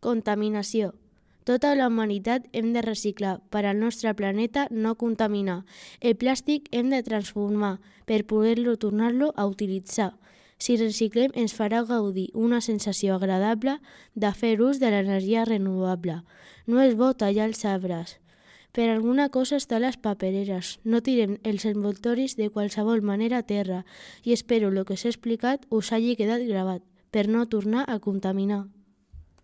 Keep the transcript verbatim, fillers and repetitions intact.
Contaminació. Tota la humanitat hem de reciclar per al nostre planeta no contaminar. El plàstic hem de transformar per poder-lo tornar-lo a utilitzar. Si reciclem ens farà gaudir una sensació agradable de fer ús de l'energia renovable. No és bo tallar els arbres. Per alguna cosa estan les papereres. No tirem els envoltoris de qualsevol manera a terra i espero que el que s'ha explicat us hagi quedat gravat per no tornar a contaminar.